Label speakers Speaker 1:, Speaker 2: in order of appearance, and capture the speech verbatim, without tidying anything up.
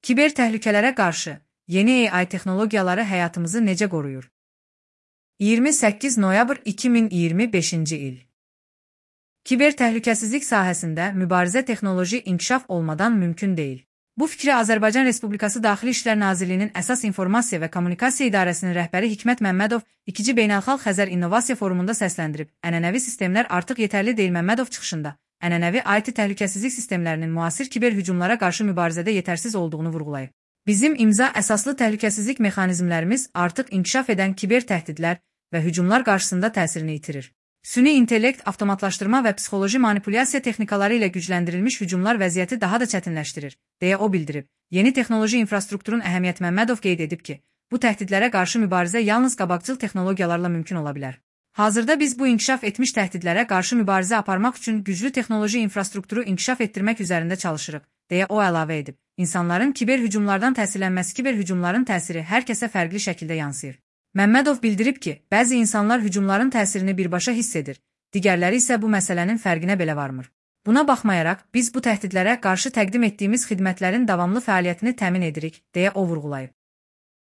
Speaker 1: Kiber təhlükələrə qarşı yeni A I texnologiyaları həyatımızı necə qoruyur? iyirmi səkkiz noyabr iki min iyirmi beşinci il. Kiber təhlükəsizlik sahəsində mübarizə texnoloji inkişaf olmadan mümkün deyil. Bu fikri Azərbaycan Respublikası Daxili İşlər Nazirliyinin Əsas İnformasiya və Kommunikasiya İdarəsinin rəhbəri Hikmət Məmmədov ikinci Beynəlxalq Xəzər İnnovasiya Forumunda səsləndirib. Ənənəvi sistemlər artıq yetərli deyil. Məmmədov çıxışında ənənəvi I T təhlükəsizlik sistemlərinin müasir kiber hücumlara qarşı mübarizədə yetərsiz olduğunu vurğulayıb. Bizim imza əsaslı təhlükəsizlik mexanizmlərimiz artıq inkişaf edən kiber təhdidlər və hücumlar qarşısında təsirini itirir. Süni intellekt, avtomatlaşdırma və psixoloji manipulyasiya texnikaları ilə gücləndirilmiş hücumlar vəziyyəti daha da çətinləşdirir, deyə o bildirib. Yeni texnoloji infrastrukturun əhəmiyyəti Məmmədov qeyd edib ki, bu təhdidlərə qarşı mübarizə yalnız qabaqcıl texnologiyalarla mümkün ola bilər. Hazırda biz bu inkişaf etmiş təhdidlərə qarşı mübarizə aparmaq üçün güclü texnoloji infrastrukturu inkişaf etdirmək üzərində çalışırıq, deyə o əlavə edib. İnsanların kiber hücumlardan təsirlənməsi kiber hücumların təsiri hər kəsə fərqli şəkildə yansıyır. Məmmədov bildirib ki, bəzi insanlar hücumların təsirini birbaşa hiss edir, digərləri isə bu məsələnin fərqinə belə varmır. Buna baxmayaraq, biz bu təhdidlərə qarşı təqdim etdiyimiz xidmətlərin davamlı fəaliyyətini təmin edirik, deyə o vurğulayıb.